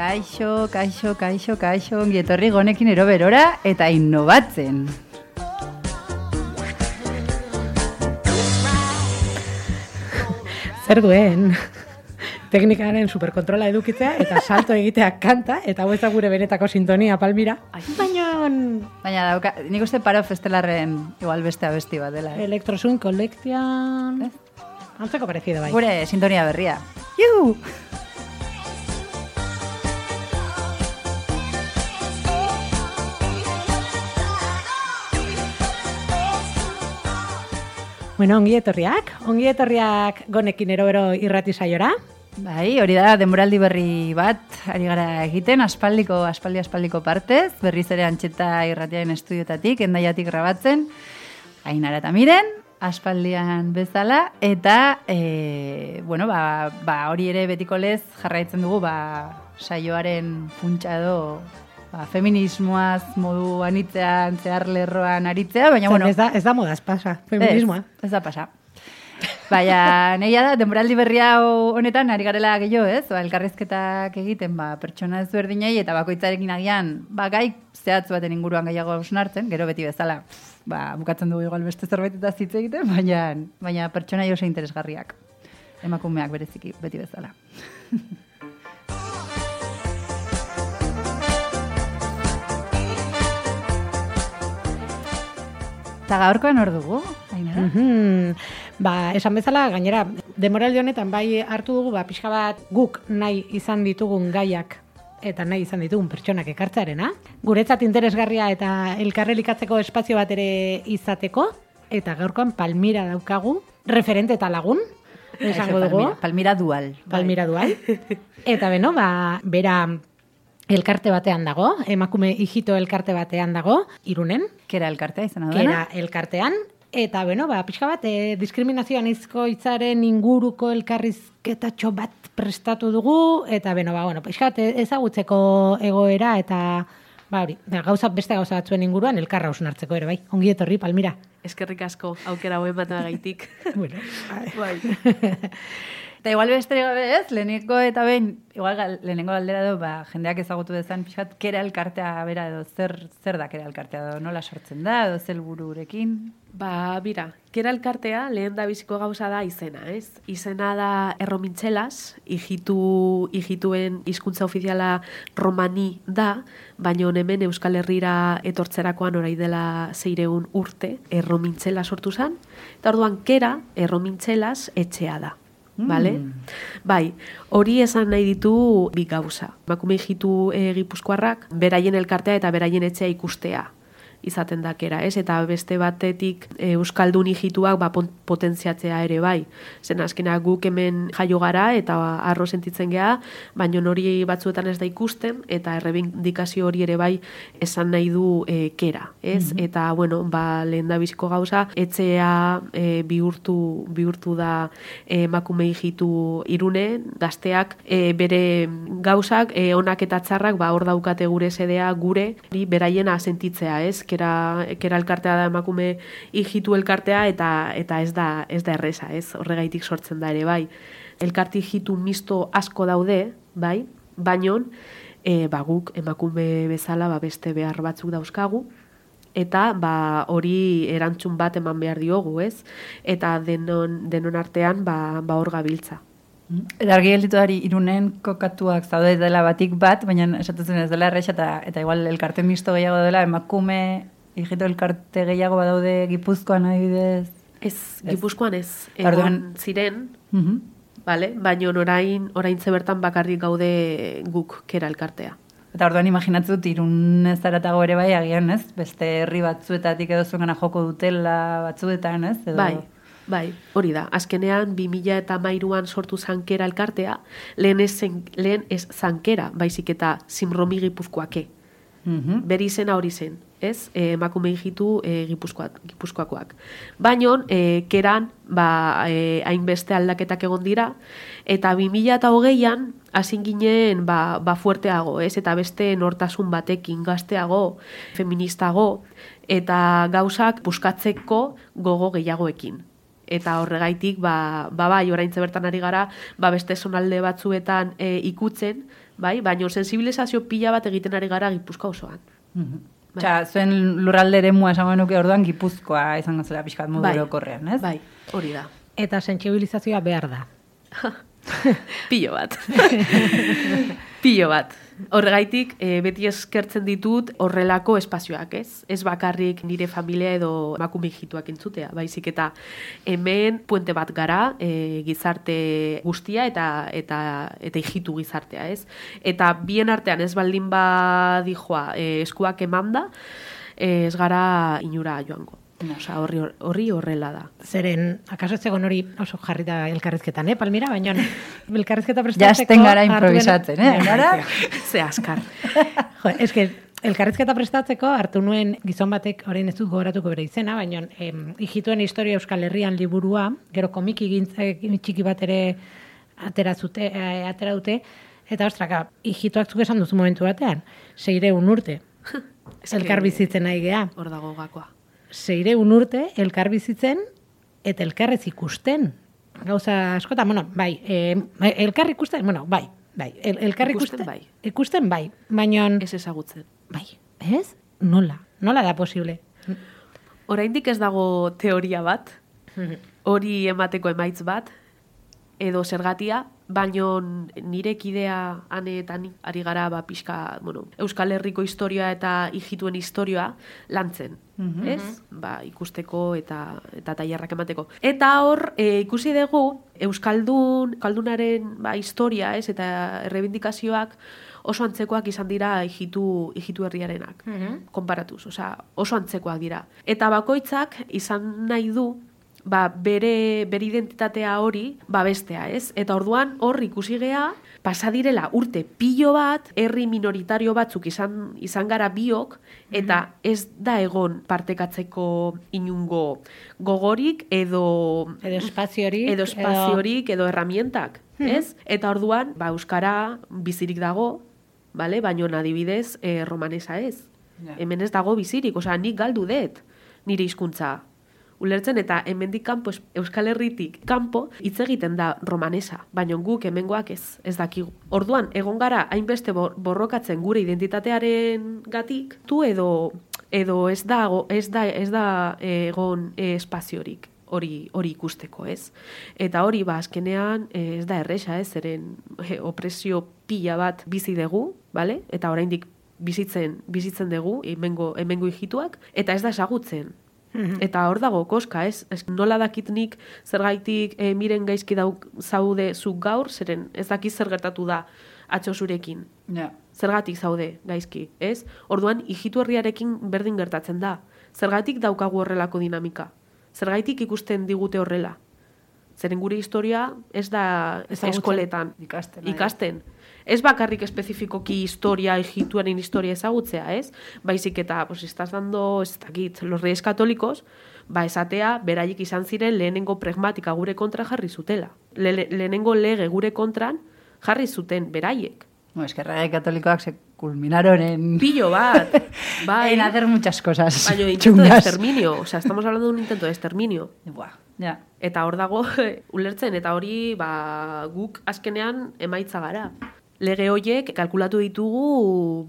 Kaixo, ongi etorri gonekin eroberora eta innovatzen. Zer duen, teknikaren superkontrola edukitzea eta salto egitea kanta, eta hau ez da gure benetako sintonia, Palmira. Baina dauka, nik uste Paro Festelarren igual beste abesti bat dela. Electroswing Collection. Antzeko parecido bai. Gure sintonia berria. Juhu! Bueno, ongi etorriak gonekin erobero irrati saiora. Bai, hori da, denboraldi berri bat, ari gara egiten, aspaldiko partez, berriz ere Antxeta irratiaren estudiotatik, Hendaiatik grabatzen, Ainara eta Miren, aspaldian bezala, eta, hori ere betiko lez jarraitzen dugu, saioaren funtsa edo, feminismoaz modu anitzean, zehar lerroan aritzea, baina, Ez da modaz pasa, feminismoa. Ez da pasa. Baina, nahia da, denboraldi berria honetan, ari garela gehiago, ez? Elkarrizketak egiten, pertsona ezberdinei, eta bakoitzarekin agian, gai zehatz baten inguruan gehiago hausnartzen, gero beti bezala, bukatzen dugu igual beste zerbait eta zitze egiten, baina pertsona oso interesgarriak. Emakumeak bereziki, beti bezala. Eta gaurkoan hor dugu, Ainara? Esan bezala, gainera, denboraldi honetan bai hartu dugu, pixka bat guk nahi izan ditugun gaiak eta nahi izan ditugun pertsonak ekartzearena. Guretzat interesgarria eta elkarrelikatzeko espazio bat ere izateko, eta gaurkoan Palmira daukagu, referente eta lagun, esango dugu. Palmira dual. Eta bera elkarte batean dago, emakume hijito elkarte batean dago, Irunen. Kera elkartea izan da. Kera elkartean. Eta, pixka bat, diskriminazioan izko hitzaren inguruko elkarrizketatxo bat prestatu dugu, eta, pixka bat, ezagutzeko egoera, eta, beste gauza batzuen inguruan elkarra hausnartzeko ere, bai. Ongi etorri, Palmira. Eskerrik asko, aukera hoen bat gaitik. Bai. Eta igual besterik gabe ez, lehenengo eta behin, lehenengo galdera edo, jendeak ezagutu dezan, pixkat, kera elkartea bera edo, zer da kera elkartea edo, nola sortzen da, edo zel bururekin? Bira, kera elkartea lehen da biziko gauza da izena, ez? Izena da erromintxelas, hijituen hizkuntza ofiziala romani da, baina hemen Euskal Herrira etortzerakoan orai dela 600 urte, erromintxela sortu zen, eta orduan kera erromintxelas etxea da. Vale? Bai, hori esan nahi ditu bi gauza. Emakume hijitu gipuzkoarrak, beraien elkartea eta beraien etxea ikustea izaten dakera, ez? Eta beste batetik euskaldun hijituak potentziatzea ere bai. Zen azkenak guk hemen jaio gara eta arro sentitzen gea, baina hori batzuetan ez da ikusten, eta errebindikazio hori ere bai esan nahi du kera, ez? Eta, lehen da biziko gauza, etxea bihurtu da emakume hijitu Irunen, gazteak bere gauzak, onak eta txarrak, hor daukate gure sedea, gure, beraiena sentitzea, ez? Kera elkartea da emakume hijitu elkartea eta ez da erresa, ez? Horregaitik sortzen da ere, bai. Elkarte hijitu misto asko daude, bai? Baino, guk emakume bezala beste behar batzuk dauzkagu, eta hori erantzun bat eman behar diogu, ez? Eta denon artean hor gabiltza. Eta argi gelditu dari Irunen kokatuak zaude dela batik bat, baina esatzen ez dela erresa eta igual elkarte misto gehiago dela, emakume hijito elkarte gehiago badaude Gipuzkoan adibidez. Ez, Gipuzkoan ez. Egon ziren, baina orain zebertan bakarrik gaude guk kera elkartea. Eta orduan imaginatzen dut Irun ez zaratago ere bai agian, ez? Beste herri batzuetatik edo zuengana joko dutela batzuetan, ez? Edo... Bai, hori da. Azkenean 2013an sortu zankera elkartea, lehen ez zankera, baizik eta Simromi Gipuzkoake. Beri izena hori zen, ez? Emakume hijitu Gipuzkoakoak. Baina, keran, hainbeste aldaketak egon dira, eta 2020an, hasi ginen, fuerteago, ez? Eta beste nortasun batekin, gazteago, feministago, eta gauzak buskatzeko gogo gehiagoekin. Eta horregaitik, bai, oraintze bertan ari gara, beste zonalde batzuetan ikutzen, bai, baina sensibilizazio pila bat egiten ari gara Gipuzkoa osoan. Osea, zuen lurralde eremua esango nuke orduan Gipuzkoa izango zela pixkat modu orokorrean, ez? Bai, hori da. Eta sentsibilizazioa behar da. Pilo bat. Pilo bat. Horregaitik, beti eskertzen ditut horrelako espazioak, ez? Ez bakarrik nire familia edo emakume ijituak entzutea, baizik eta hemen puente bat gara gizarte guztia eta ijitu gizartea, ez? Eta bien artean ez baldin badijoa eskuak emanda, ez gara inura joango. Osa, horri horrela da. Zeren, akaso ez zegoen hori oso jarri da elkarrizketan, Palmira? Baina elkarrizketa prestatzeko... Jasten gara improvisatzen, Gara? Ze askar. Jo, eske, elkarrizketa prestatzeko hartu nuen gizon batek, orain ez dut gogoratuko bere izena, baina ijituen historia Euskal Herrian liburua, gero komiki txiki bat ere atera dute, eta ostraka, ijituak zuk esan duzu momentu batean, 600 urte, elkar bizitzen nahi gea. Hor dago gakoa. 600 urte elkar bizitzen eta elkarrez ikusten. Gauza askotan, bai, elkar ikusten, bai, elkar ikusten, bai, baina... Ez ezagutzen. Bai, ez? Nola da posible? Oraindik ez dago teoria bat, hori emateko emaitz bat, edo zergatia, baino nire kidea aneetan ari gara pixka, Euskal Herriko historia eta ijituen historia lantzen, ez? Ikusteko eta tailerrak emateko. Eta hor, ikusi dugu, Euskaldunaren historia, ez? Eta errebindikazioak oso antzekoak izan dira ijitu herriarenak, konparatuz, oso antzekoak dira. Eta bakoitzak izan nahi du, bere identitatea hori bestea, ez? Eta orduan hor ikusi gea, pasadirela urte pilo bat, herri minoritario batzuk izan gara biok, eta ez da egon partekatzeko inungo gogorik edo espaziorik edo herramientak, ez? Eta orduan, euskara bizirik dago, baina adibidez romanesa ez. Hemen ez dago bizirik, nik galdu dut nire hizkuntza. Ulertzen eta hemendik kanpo, Euskal Herritik kanpo, hitz egiten da romanesa, baina guk hemengoak ez dakigu. Orduan, egon gara hainbeste borrokatzen gure identitatearen gatik, edo ez da egon espaziorik hori ikusteko, ez? Eta hori, azkenean, ez da erresa, ez? Zeren opresio pila bat bizi dugu, bale? Eta oraindik bizitzen dugu, hemengo ijituak, eta ez da ezagutzen. Eta hor dago koska, ez? Nola dakit nik zergaitik miren gaizki zaude zuk gaur, zeren ez dakit zer gertatu da atzo zurekin. Zergatik zaude gaizki, ez? Orduan, ijitu herriarekin berdin gertatzen da. Zergatik daukagu horrelako dinamika? Zergaitik ikusten digute horrela? Zeren gure historia ez da eskoletan ikasten. Ez bakarrik espezifikoki ijituaren historia ezagutzea, ez? Baizik eta, estás dando, ez dakit, los reyes católicos, esatea, beraiek izan ziren lehenengo pragmatika gure kontra jarri zutela. Lehenengo lege gure kontran jarri zuten beraiek. Es que reyes católicos se culminaron en... Pillo bat. En hacer muchas cosas. Baina intento de exterminio. Estamos hablando de un intento de exterminio. Ja. Eta hor dago, ulertzen, eta hori, guk azkenean emaitza gara. Lege horiek kalkulatu ditugu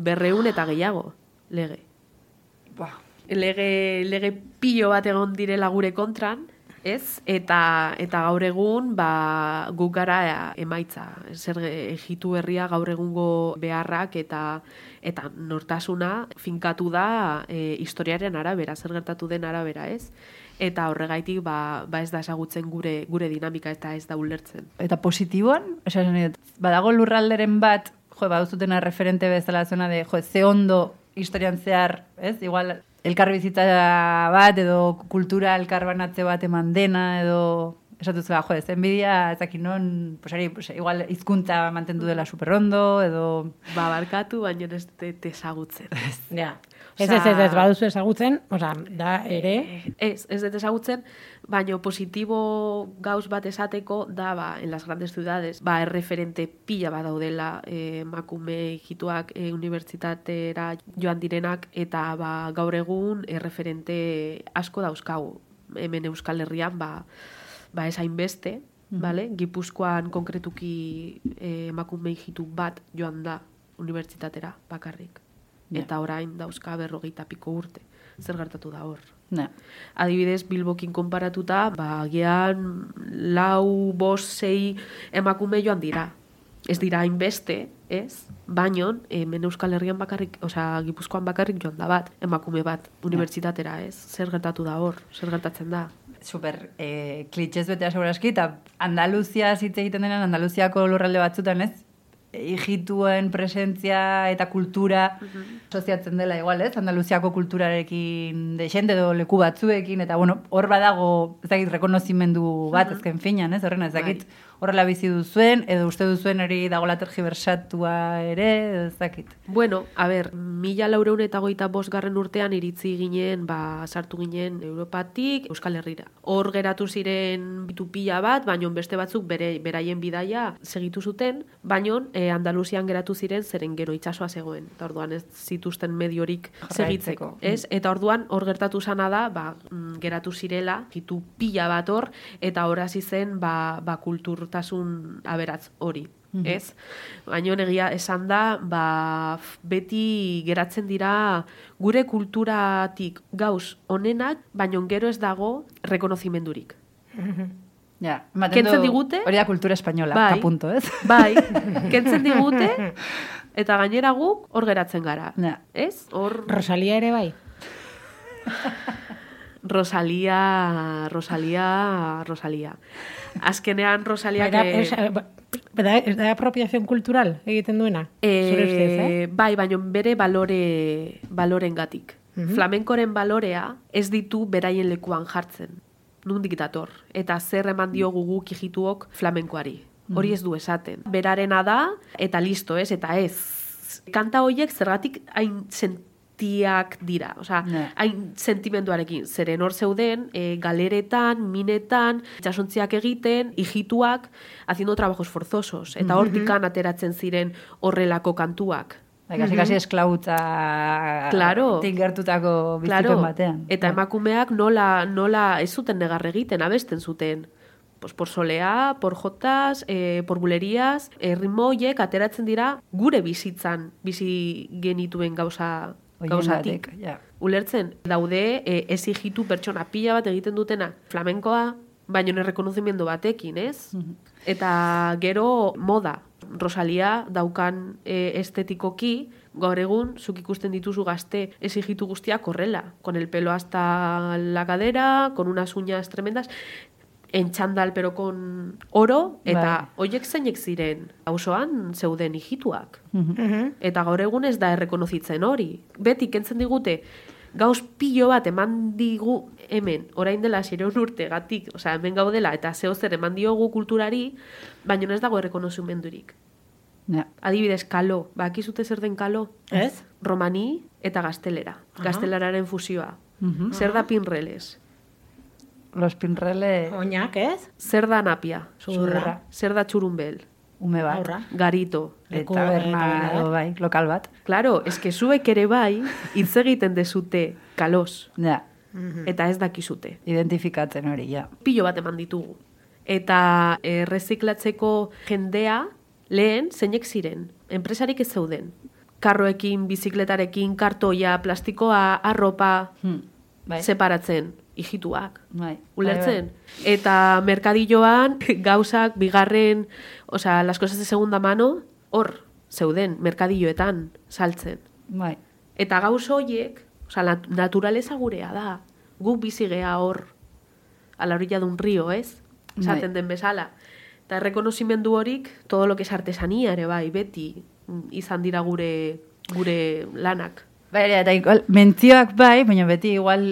200 eta gehiago, lege. Lege pilo bat egon direla gure kontran, ez? Eta gaur egun, guk gara emaitza. Zer ejitu herria gaur egungo beharrak eta nortasuna finkatu da historiaren arabera, zer gertatu den arabera, ez? Eta horregaitik ez da ezagutzen gure dinamika eta ez da ulertzen. Eta positiboan, badago lurralderen bat, baduzutena referente bezala zona de, ze ondo historian zehar, ez? Igual, elkarbizitza bat edo kultura elkarbanatze bat eman dena edo... Esatuz, enbidia, ezakit non, igual hizkuntza mantendu dela superrondo, edo... Barkatu, baina ez ezagutzen. Ja. Ez baduzu ezagutzen, da ere... Ez dut ezagutzen, baina positibo gauz bat esateko da, en las grandes ciudades, erreferente pila bat daudela emakume ijituak unibertsitatera joan direnak, eta gaur egun erreferente asko dauzkagu. hemen Euskal Herrian, ez hainbeste, vale? Gipuzkoan konkretuki emakume hijitu bat joan da unibertsitatera bakarrik. Eta orain dauzka 40 piko urte. Zer gertatu da hor? Adibidez, Bilbokin konparatuta, agian 4, 5, 6 emakume joan dira. Ez dira hainbeste, ez? Baino, hemen Euskal Herrian bakarrik, Gipuzkoan bakarrik joan da bat, emakume bat, unibertsitatera, ez? Zer gertatu da hor? Zer gertatzen da? Super klitxez betea seguraski, eta Andaluzia hitz egiten denean, Andaluziako lurralde batzutan, ez? Ijituen presentzia eta kultura soziatzen dela igual, ez? Andaluziako kulturarekin deixente edo leku batzuekin, eta bueno, hor badago, ez dakit, rekonozimendu bat azken finan, ez? Horrena, ez dakit, horrela bizi duzuen, edo uste duzuen hori dagoela tergibersatua ere, edo ez dakit. Bueno, a ber, 1425 urtean iritzi ginen, sartu ginen Europatik Euskal Herrira. Hor geratu ziren bitu pila bat, baino beste batzuk beraien bidaia segitu zuten, baino Andaluzian geratu ziren zeren gero itsasoa zegoen. Eta orduan ez zituzten mediorik segitzeko. Ez? Eta orduan hor gertatu zana da, geratu zirela, hitu pila bat hor, eta hor hasi zen kulturtasun aberatz hori. Ez? Baina egia esan da, beti geratzen dira gure kulturatik gauz onenak, baina gero ez dago rekonozimendurik. Ja, kentzen digute, hori da kultura espainola, apunto, ez? Bai, kentzen digute, eta gainera guk hor geratzen gara. Ez? Rosalia ere bai? Rosalia. Azkenean Rosalia... Ez da apropiazion kultural egiten duena? Zure ustez, Bai, baina bere balorengatik. Flamenkoren balorea ez ditu beraien lekuan jartzen. Nundik dator. Eta zer eman diogu guk ijituok flamenkoari. Hori ez du esaten. Berarena da, eta listo, ez? Eta ez. Kanta horiek zergatik hain sentiak dira. Hain sentimenduarekin. Zeren hor zeuden, galeretan, minetan, itxasontziak egiten, ijituak, haciendo trabajos forzosos. Eta hortikan ateratzen ziren horrelako kantuak. Kasi esklautza tingertutako bizikon batean. Eta emakumeak nola ez zuten negar egiten, abesten zuten. Por solea, por jotas, por bulerías, ritmoiek ateratzen dira gure bizitzan, bizi genituen gauzatik. Ulertzen, daude ez hijitu pertsona pila bat egiten dutena flamenkoa, baino errekonozimendu batekin, ez? Eta gero moda. Rosalia daukan estetikoki, gaur egun, zuk ikusten dituzu gazte exigitu guztiak horrela. Con el pelo hasta la cadera, con unas uñas tremendas, en txandal, pero con oro, eta hoiek zeinek ziren, auzoan zeuden hijituak. Eta gaur egun ez da errekonozitzen hori. Beti kentzen digute, gauz pilo bat eman digu hemen, orain dela 600 urte gatik, hemen gaudela, eta zehozer eman diogu kulturari, baina ez dago errekonozimendurik. Adibidez, kalo. Bakizute zer den kalo? Ez? Romani eta gaztelera. Gaztelararen fusioa. Zer da pinreles? Los pinreles... Oinak, ez? Zer da napia? Zurra. Zer da txurumbel? Ume bat. Garito. Eta berna, bai, lokal bat. Claro, eske zuek ere bai, hitz egiten dezute kalos. Eta ez dakizute. Identifikatzen hori, ja. Pilo bat eman ditugu. Eta reziklatzeko jendea, lehen, zeinek ziren. Enpresarik ez zeuden. Karroekin, bizikletarekin, kartoia, plastikoa, arropa, separatzen. Ijituak. Ulertzen? Eta merkadilloan gauzak bigarren, las cosas de segunda mano, hor zeuden, merkadilloetan saltzen. Eta gauz horiek, naturaleza gurea da. Guk bizigea hor, a la orilla de un río, ez? Esaten den bezala. Eta rekonozimendu horik, todo lo que es artesanía ere bai, beti izan dira gure lanak. Eta igual, mentzioak bai, baina beti igual,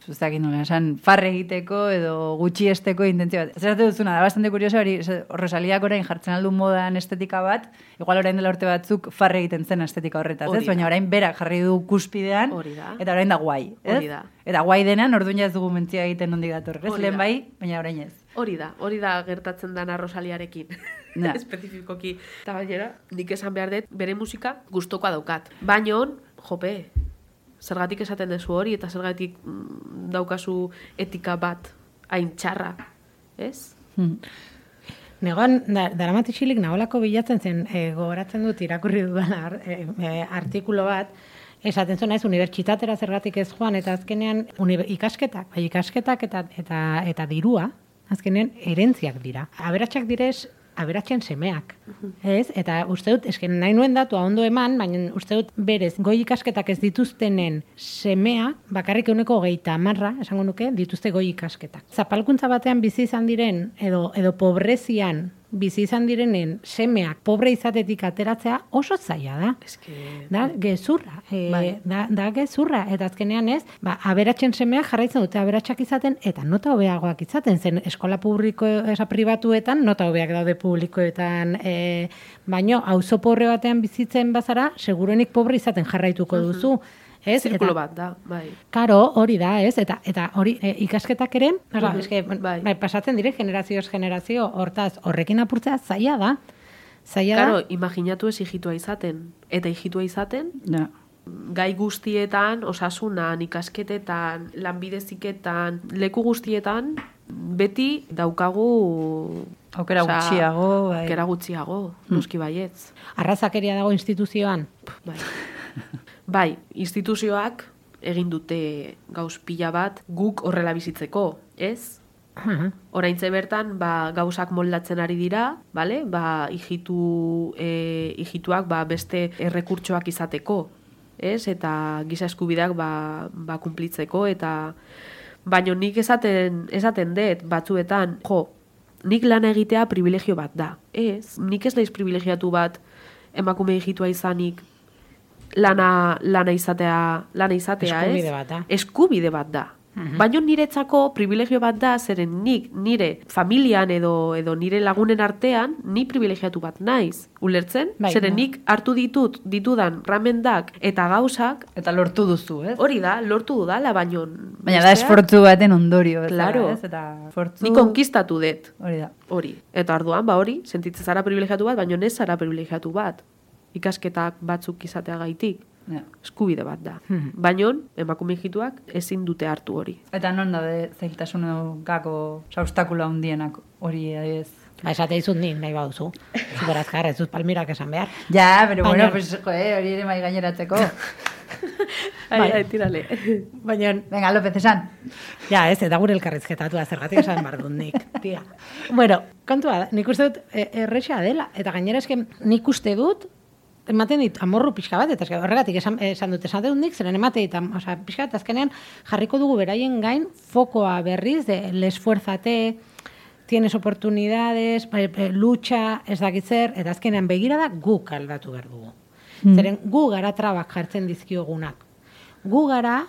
zuztakin nola, farre egiteko edo gutxi esteko intentzio bat. Zerate duzuna, da bastante kurioso, hori Rosaliak orain jartzen aldu modan estetika bat, igual orain dela urte batzuk farre egiten zen estetika horretaz, ez? Baina orain berak jarri du kuspidean, eta orain da guai, ez? Eta guai denan, orduan ez dugu mentzioa egiten nondik dator, ez? Lehen bai, baina orain ez. Hori da gertatzen dana Rosaliarekin. Espezifikoki. Eta bainera, nik esan behar dut, bere musika gustokoa daukat. Baina, jope, Zergatik esaten dezu hori, eta zergatik daukazu etika bat hain txarra, ez? Negoan, Daramaticilik nagolako bilatzen zen, gogoratzen dut irakurri dudan artikulo bat, esaten zuen ez, unibertsitatera zergatik ez joan, eta azkenean ikasketak eta dirua, azkenean erentziak dira. Aberatsak direz, aberatsen semeak, ez? Eta uste dut, esken nahi nuen datua ondo eman, baina uste dut berez, goi ikasketak ez dituztenen semea, bakarrik 30%, esango nuke, dituzte goi ikasketak. Zapalkuntza batean bizi izan diren, edo pobrezian bizi izan direnen semeak pobre izatetik ateratzea oso zaila da. Da gezurra, da gezurra, eta azkenean ez, aberatsen semeak jarraitzen dute aberatsak izaten, eta nota hobeagoak izaten, zen eskola publiko pribatuetan, nota hobeak daude publikoetan, baino, auzo pobre batean bizitzen bazara, segurenik pobre izaten jarraituko duzu. Zirkulo bat da, bai. Karo, hori da, ez? Eta hori ikasketak ere, pasatzen dire generazioz generazio, hortaz, horrekin apurtzea zaila da. Karo, imaginatu ez hijitua izaten. Eta hijitua izaten, gai guztietan, osasunan, ikasketetan, lanbideziketan, leku guztietan, beti daukagu aukera gutxiago, bai. Aukera gutxiago, noski baietz. Arrazakeria dago instituzioan. Bai. Bai, instituzioak egin dute gauz pila bat guk horrela bizitzeko, ez? Oraintze bertan, gauzak moldatzen ari dira, bale? Hijituak beste errekurtsoak izateko, ez? Eta giza eskubideak kunplitzeko, eta baino nik esaten dut batzuetan, nik lana egitea privilegio bat da, ez? Nik ez naiz privilegiatu bat emakume hijitua izanik, lana izatea, eskubide bat da. Eskubide bat da. Baina niretzako privilegio bat da, zeren nik nire familian edo nire lagunen artean, ni privilegiatu bat naiz. Ulertzen? Zeren nik hartu ditudan ramendak eta gauzak. Eta lortu duzu, ez? Hori da, lortu dudala, baina da esfortzu baten ondorio. Claro. Ni konkistatu dut. Hori da. Hori. Eta orduan, hori, sentitzen zara privilegiatu bat, baina ez zara privilegiatu bat. Ikasketak batzuk izateagaitik. Eskubide bat da. Baina, emakume hijituak ezin dute hartu hori. Eta non daude zailtasunekako obstakula hundienak hori ez? Esate izut nahi baduzu. Zuberazkar, ez dut Palmirak esan behar. Ja, pero bueno, pues, hori ere mai gaineratzeko. Tirale. Baina... Venga, López, esan. Ja, ez, eta gure elkarrizketatu da, zergatik esan behar dut nik. Tia. Bueno, kontua da, nik uste dut errexea dela. Eta gainera esken nik uste dut, ematen dit amorru pixka bat, eta horregatik esan dut nik, zeren emate dit, pixka bat, azkenean jarriko dugu beraien gain fokoa berriz, l'esfuerzate, tienes oportunidades, lucha, ez dakitzer, eta azkenean begira da guk aldatu behar dugu. Zeren gu gara trabak jartzen dizkiogunak. Gu gara,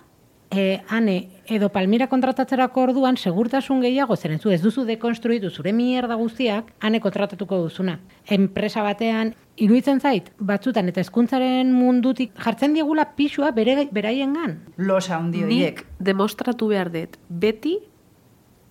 ane, edo Palmira kontratatzerako orduan, segurtasun gehiago, zeren zu ez duzu dekonstruitu zure mierda guztiak, ane kontratatuko duzuna. Enpresa batean, iruditzen zait, batzutan eta hezkuntzaren mundutik jartzen diegula pixua beraiengan. Losa handi horiek. Nik demostratu behar dut, beti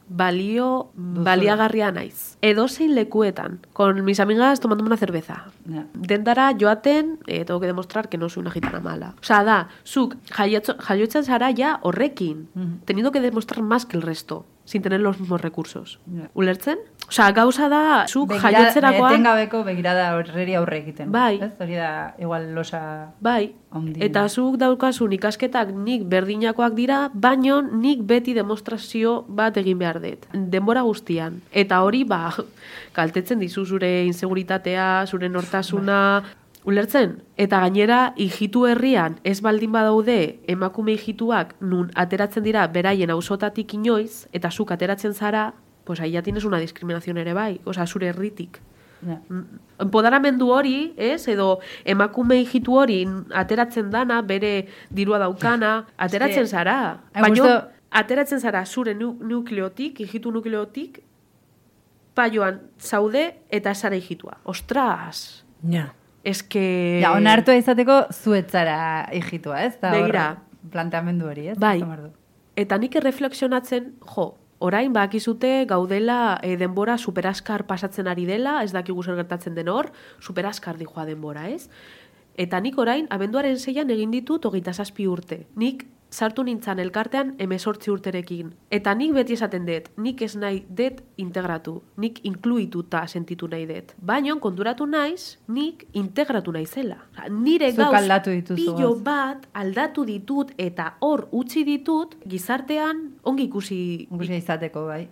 baliagarria naiz. Edozein lekuetan, con mis amigas tomando una cerveza. Dendara joaten, tengo que demostrar que no soy una gitana mala. Osa da, zuk jaiotzen zara ja horrekin, teniendo que demostrar más que el resto, sin tener los mismos recursos. Ulertzen? Osa, gauza da, zuk jaiotzerakoan... Etengabeko begirada horreri aurre egiten. Bai. Ez? Hori da, igual losa... Bai. Eta zuk daukasun ikasketak nik berdinakoak dira, baino nik beti demostrazio bat egin behar dut. Denbora guztian. Eta hori, kaltetzen dizu zure inseguritatea, zure nortasuna... Ulertzen? Eta gainera, hijitu herrian ez baldin badaude emakume hijituak nun ateratzen dira beraien auzotatik inoiz, eta zuk ateratzen zara, pues ahí ya tienes una discriminación ere bai, oza, zure herritik. Empoderamendu hori, ez? Edo emakume hijitu hori ateratzen dana, bere dirua daukana, ateratzen zara. Baina, ateratzen zara zure nukleotik, hijitu nukleotik, paioan zaude eta zara hijitua. Ostras! Ja. Eske... Ja, onartua izateko zuetzara hijitua, ez? Begira. Planteamendu hori, ez? Bai. Eta nik erreflexionatzen, orain bakizute gaudela denbora superaskar pasatzen ari dela, ez dakigu zer gertatzen den hor, superaskar dijoa denbora, ez? Eta nik orain, abenduaren 6an egin ditut 27 urte. Nik sartu nintzan elkartean 18 urterekin. Eta nik beti esaten dut, nik ez nahi dut integratu, nik inkluituta sentitu nahi dut. Baina konturatu naiz, nik integratu naizela. Nire Zuk gauz aldatu dituzu pilo gauz. bat aldatu ditut eta hor utzi ditut gizartean ongi ikusi Ikusi izateko, bai.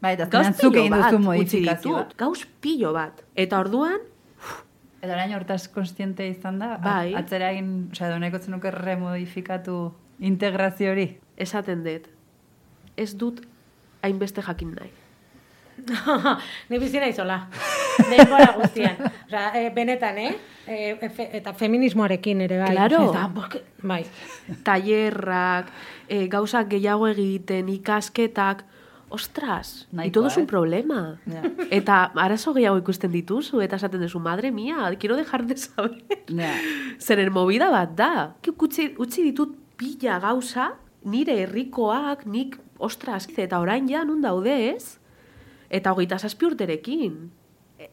Bai, eta gauz azkenean zuk egin pilo duzu bat utzi modifikazioa. ditut. Gauz pilo bat. Eta orduan, Eta orain hortaz konstiente izan da, Bai. atzera egin, osea, doneko zenuke remodifikatu integrazio hori. esaten dut, ez dut hainbeste jakin nahi. Ni bizi naizola. Denbora guztian. Osea, benetan, eta feminismoarekin ere bai. Claro. Bai. Tailerrak, gauzak gehiago egiten, ikasketak, ostras, Nahikoa, todo es un problema. Ja. Eta arazo gehiago ikusten dituzu, eta esaten duzu, madre mía, quiero dejar de saber. Ja. Zeren movida bat da. Utzi ditut pila gauza, nire herrikoak, nik, ostras, eta orain ja nun daude ez? Eta 27 urterekin.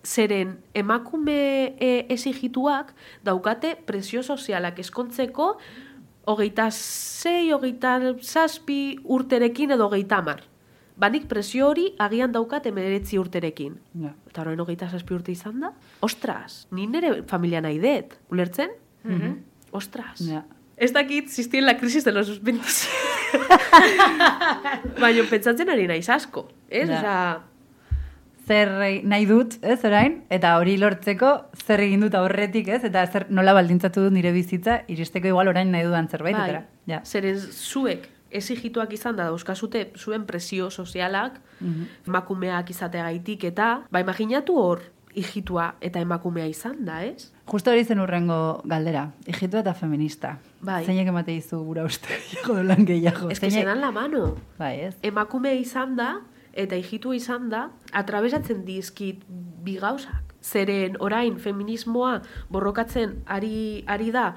Zeren emakume esigituak daukate presio sozialak eskontzeko 26, 27 urterekin edo 30. Banik presio hori agian daukat 19 urterekin. Ja. Eta orain 27 urte izan da? Ostras, ni nire familia nahi dut. Ulertzen? Ostras. Ja. Ez dakit ziztien la crisis de los 27. Baina pentsatzen ari naiz asko. Ez? Ja. Osea, Zer nahi dut, ez, orain, eta hori lortzeko zer egin dut aurretik, ez, eta zer nola baldintzatu dut nire bizitza, iristeko igual orain nahi dudan zerbait, bai, etera. Ja. zeren zuek exigituak izan da dauzkazute zuen presio sozialak, emakumeak izateagaitik eta, imaginatu hor, hijitua eta emakumea izan da, ez? Justo hori zen urrengo galdera, hijitua eta feminista. Bai. Zeinek emate dizu gura uste gehiago dolan gehiago. Ez que se dan la mano. Bai, ez? Emakume izan da, eta hijitu izan da, atrabesatzen dizkit bi gauzak. Zeren orain feminismoa borrokatzen ari da,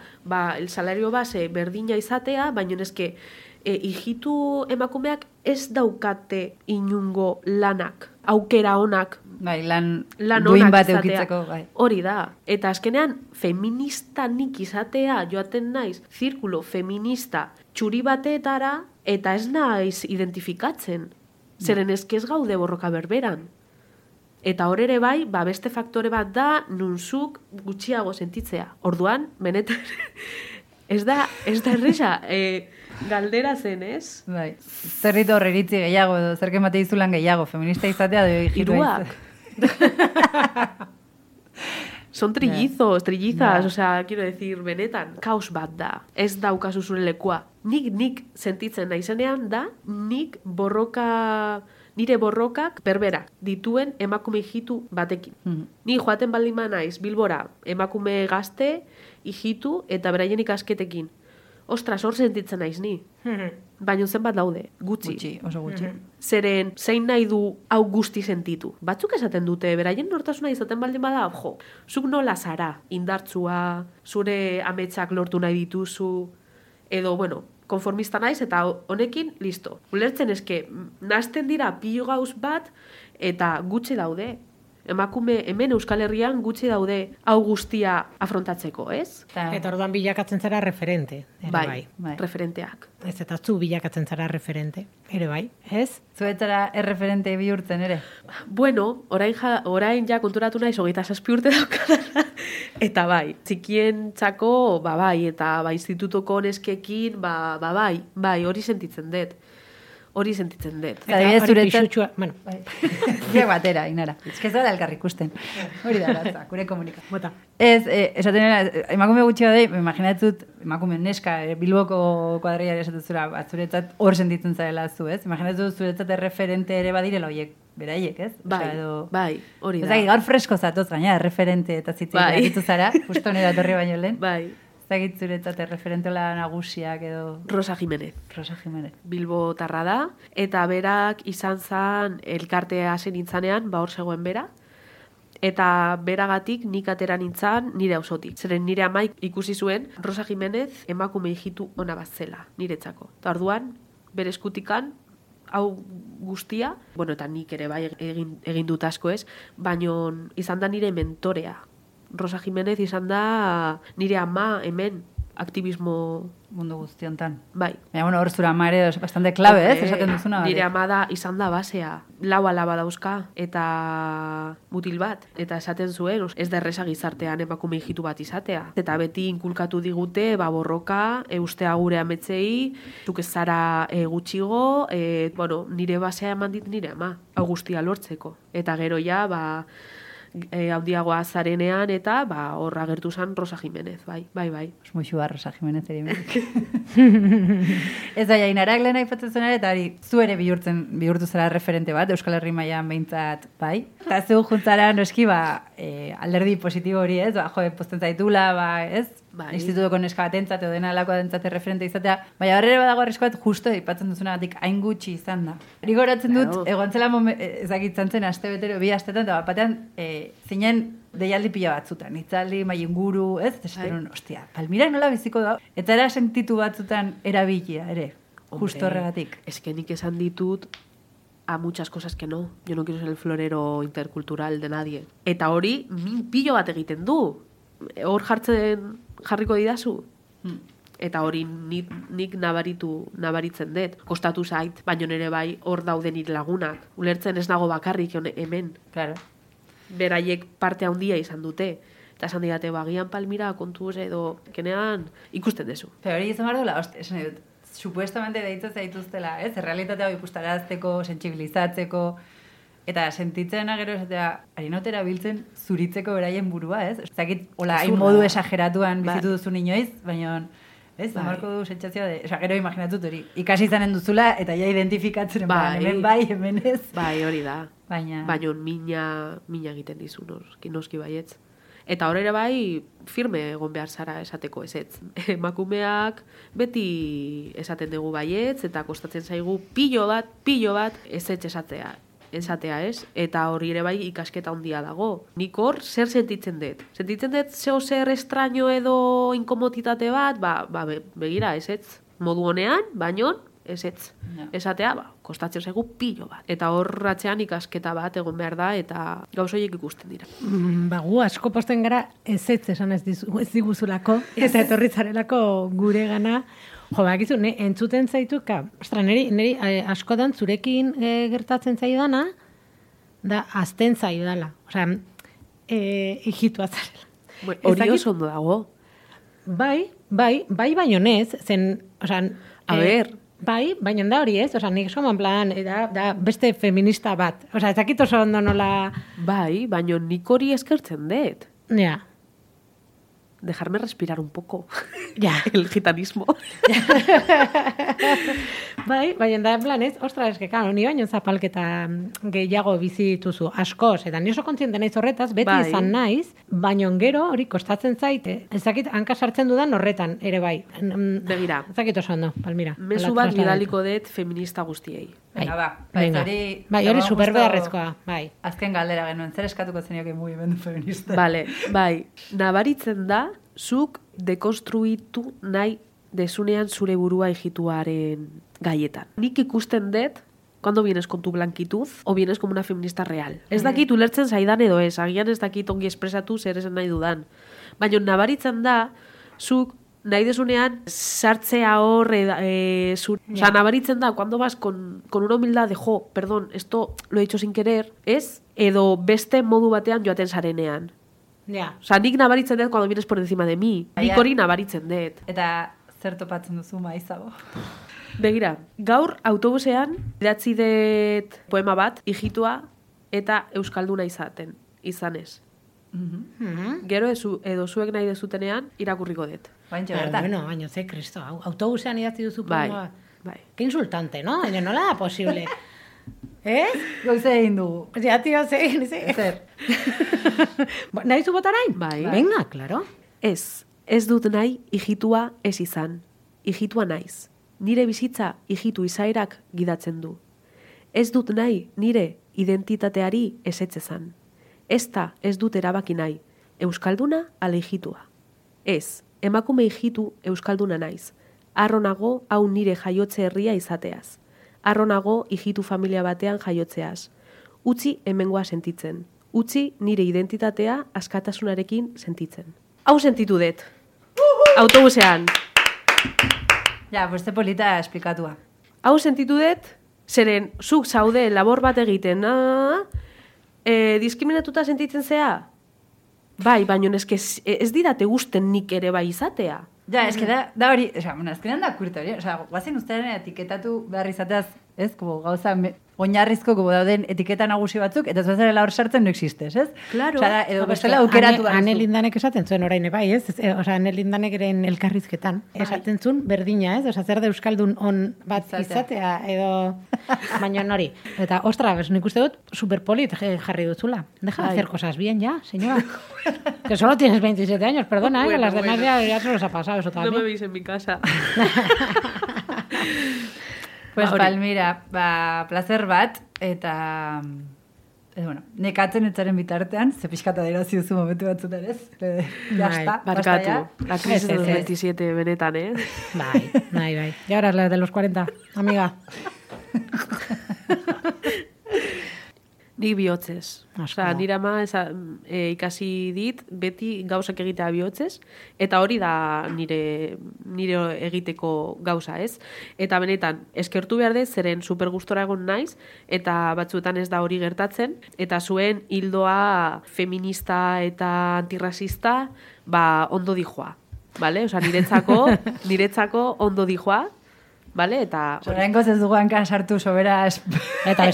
el salario base berdina izatea, baina eske hijitu emakumeak ez daukate inungo lanak, aukera onak, Bai, lan lan duin onak bat izatea. eukitzeko, bai. Hori da. Eta azkenean, feminista nik izatea joaten naiz, zirkulo feminista txuri batetara, eta ez naiz identifikatzen. Zeren ez gaude borroka berberan. Eta hor ere bai, beste faktore bat da, nunzuk gutxiago sentitzea. Orduan, benetan, ez da erresa, galdera zen, ez? Bai. Zer ditu horre iritzi gehiago, edo zer kemate dizulan gehiago, feminista izatea, edo hijitua Hiruak. Son trillizos, trillizas, Ja. o sea, quiero decir, benetan, kaos bat da. Ez daukazu zure lekua. Nik sentitzen naizenean da, nire borrokak berberak dituen emakume hijitu batekin. Ni joaten baldin naiz Bilbora, emakume gazte, hijitu eta beraien ikasketekin. Ostras, hor sentitzen naiz ni. Baina zenbat daude, Gutxi, oso gutxi. Zeren, zein nahi du hau guzti sentitu. Batzuk esaten dute, beraien nortasuna izaten baldin bada, jo, zuk nola zara, indartsua, zure ametsak lortu nahi dituzu, edo, bueno, konformista naiz, eta honekin, listo. Ulertzen eske, nazten dira pilo gauz bat, eta gutxi daude. Emakume hemen Euskal Herrian gutxi daude hau guztia afrontatzeko, ez? Eta orduan bilakatzen zara referente. Ere bai. Bai. Referenteak. Ez eta zu bilakatzen zara referente. Ere bai, ez? Zuetara erreferente bihurtzen ere? Bueno, orain ja konturatu naiz 27 urte daukadala. Eta bai, txikien txako, bai, eta institutoko neskekin, bai, hori sentitzen dut. Eta adibidez hori zuretzat- pisutxua, bueno, Bai. Biak batera, Inara. Ez que ez da elkarri ikusten. Hori da, latza, gure komunika. bota. Ez, esaten nena, emakume gutxi badei, imaginatzut, emakume neska, Bilboko kuadriari esatuzura, zuretzat hor sentitzen zarela zu, ez? Imaginatzut zuretzat erreferente ere badirela horiek, beraiek, ez? Bai, Osea, edo- bai, hori da. Ez dakit, gaur fresko zatoz gaina, erreferente eta zitzen Bai. aritu zara, justo nire atorri baino lehen. Bai, Ez dakit zuretzat erreferentola nagusiak edo Rosa Jimenez. Rosa Jimenez. Bilbo tarra da, eta berak izan zan elkartea hasi nintzanean, hor zegoen bera, eta beragatik nik atera nintzan nire auzotik. Zeren nire amaik ikusi zuen Rosa Jimenez emakume hijitu ona bat zela, niretzako. Eta orduan, bere eskutikan, hau guztia, bueno, eta nik ere bai egin dut asko ez, baino izan da nire mentorea. Rosa Jimenez izan da nire ama hemen aktivismo mundu guztiontan. bai. Baina, bueno, hor zura ama ere bastante klabe, esaten duzuna. Nire ama da izan da basea. Lau alaba dauzka eta mutil bat. Eta esaten zuen, ez da erresa gizartean emakume hijitu bat izatea. Eta beti inkulkatu digute, borroka, ustea gure ametzei, zuk ez zara gutxigo, bueno, nire basea eman dit nire ama, hau guztia lortzeko. Eta gero ja, handiagoa zarenean eta hor agertu zen Rosa Jimenez, bai. Muxua Rosa Jimenez ere. Ez da, Inarak lehen aipatzen zuen ere, eta zu ere bihurtu zara referente bat, Euskal Herri mailan behintzat, bai. Eta zu juntzara noski, alderdi positibo hori, ez? Posten zaitula, ez? Bai. Institutoko neska batentzat edo dena alakoa dentzate referente izatea. Baina horre badago arrisko bat justo aipatzen duzunagatik hain gutxi izan da. Rigoratzen dut, egontzela ezakitzen zen aste betero, 2 astetan, eta batean zinen deialdi pila batzutan, hitzaldi, mailinguru, ez? Esperun, ostia, Palmira nola biziko da? Eta era sentitu batzutan erabilia, ere, justo horregatik. Es que nik esan ditut a muchas cosas que no. Yo no quiero ser el florero intercultural de nadie. Eta hori, min pilo bat egiten du. Hor jarriko didazu. Eta hori nik nabaritzen dut. Kostatu zait, baino nere bai hor daude nire lagunak. Ulertzen ez nago bakarrik hemen. Claro. Beraiek parte handia izan dute. Eta esan didate, bagian Palmira kontuz edo kenean ikusten dezu. Pero hori izan behar duela, esan dut, supuestamente deitzen zaituztela, ez? Errealitatea ikustarazteko, sentsibilizatzeko, eta sentitzen agero esatea, harinotera biltzen zuritzeko beraien burua, ez? Zakit, hola, hain modu esageratuan bizitu duzu inoiz, baina, ez? Zamarko du sentsazioa de, gero imaginatut hori, ikasi izanen duzula, eta ja identifikatzen, hemen bai, hemen ez. Bai, hori da. Baina mina egiten dizu, noski baietz. Eta hor ere bai, firme egon behar zara esateko ezetz. Emakumeak beti esaten dugu baietz, eta kostatzen zaigu pilo bat ezetz esatea, ez? Eta hori ere bai ikasketa handia dago. Nik hor zer sentitzen dut? Sentitzen dut zer estraño edo inkomoditate bat, begira ezetz. Modu honean, baino ezetz. Esatea, kostatzen zaigu pilo bat. Eta hor ratzean ikasketa bat egon behar da, eta gauzoiek ikusten dira. Gu asko posten gara ezetz esan ez diguzulako, eta etorritzarelako gure gana. Bakizu, entzuten zaitu, niri askotan zurekin gertatzen zaidana, da azten zaidala. Osea, hijitua zarela. Hori oso ondo dago. Bai, baino nez, zen, osea, a ber, bai, baina da hori ez, nik soman plan, da beste feminista bat. Ez dakit oso ondo nola... Bai, baina nik hori eskertzen dut. Ja. Dejarme respirar un poco. Ja. El gitanismo. Bai, baina da en plan ez, ostras, ni baino zapalketa gehiago bizi dituzu, askoz, eta ni oso kontziente naiz horretaz, beti izan naiz, baino gero hori kostatzen zaite. Ez dakit hanka sartzen dudan horretan, ere bai. Begira. Ez dakit oso ondo, Palmira. Mezu bat bidaliko dut feminista guztiei. Bai, hori superbeharrezkoa, bai. Azken galdera genuen, zer eskatuko zenioke mugimendu feminista? Vale, bai. Nabaritzen da, zuk dekonstruitu nahi desunean zure burua hijituaren gaietan. Nik ikusten dut, cuando vienes con tu blanquitud, o vienes como una feminista real. Ez dakit ulertzen zaidan edo ez, agian ez dakit ongi espresatu zer esan nahi dudan. Baina nabaritzen da, zuk nahi desunean sartzea hor, Osa, nabaritzen da, cuando vas con una humildad de, perdón, esto lo he hecho sin querer, ez? Edo beste modu batean joaten zarenean. Ja. Osa, nik nabaritzen dut cuando vienes por encima de mi. Nik hori nabaritzen dut. Eta zer topatzen duzu maizago? Begira, gaur autobusean idatzi dut poema bat, hijitua eta euskalduna izanez. Gero edo zuek nahi dezutenean irakurriko dut. Baintxe bertan. Baina ze, Kristo, autobusean idatzi duzu poema bat. Bai. Que insultante, no? Baina nola da posible? Goize egin dugu. Ja, tio, zer. Nahi zu botarain? Bai. Venga, claro. Ez dut nahi hijitua ez izan. Hijitua naiz. Nire bizitza hijitu izaerak gidatzen du. Ez dut nahi nire identitateari ezetzezan. Ez dut erabaki nahi. Euskalduna ala hijitua. Ez, emakume hijitu euskalduna naiz. Arronago hau nire jaiotze herria izateaz. Arronago hijitu familia batean jaiotzeaz. Utzi hemengoa sentitzen. utzi nire identitatea askatasunarekin sentitzen. Hau sentitu dut. Autobusean. Ja, beste polita esplikatua. Hau sentitu dut, zeren zuk zaude labor bat egiten, diskriminatuta sentitzen zea? Bai, baina ez didate gusten nik ere bai izatea. Ja, eske da hori, azkenean da kurta hori, guazen ustearen etiketatu behar izateaz, ez, gauza oinarrizko dauden etiketa nagusi batzuk, eta zuazarela hor sartzen no existes, ez? Claro. Edo bestela aukeratu behar. Ane Lindanek esaten zuen orain bai, ez? Ane Lindanek eren elkarrizketan. Esaten zuen berdina, ez? Zer da euskaldun on bat izatea, edo... Baina hori. Eta, ostras, nik uste dut, superpolit jarri dutzula. Deja de hacer cosas bien ya, señora. Que solo tienes 27 años, perdona, que las demás ya se los ha pasado eso también. No me veis en mi casa. Pues Palmira, placer bat, eta... nekatzen etzaren bitartean, ze pixkata dira ziduzu momentu batzutan, ez? Jasta, barkatu. La crisis de los 27 benetan, Bai. Y ahora la de los 40, amiga. Nik bihotzez. Nire ama ikasi dit, beti gauzak egitea bihotzez, eta hori da nire egiteko gauza, ez? Eta benetan, eskertu behar dez, zeren super gustora egon naiz, eta batzuetan ez da hori gertatzen, eta zuen hildoa feminista eta antirrasista, ondo dijoa, bale? Osa, niretzako ondo dijoa, vale, eta... Zorengoz ez dugu hankan sartu sobera... Eta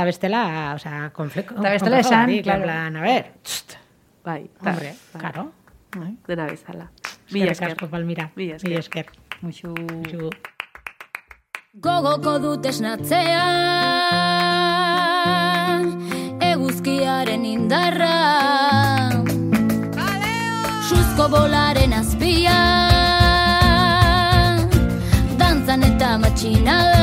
bestela, o sea, konflikto... Eta bestela esan, claro. A ver, bai, hombre, claro. Dena bezala. Mila esker, Palmira. Mila esker. Muxu. Gogoko dut esnatzea, eguzkiaren indarra, suzko bolaren azpia, dantzan eta matxinala.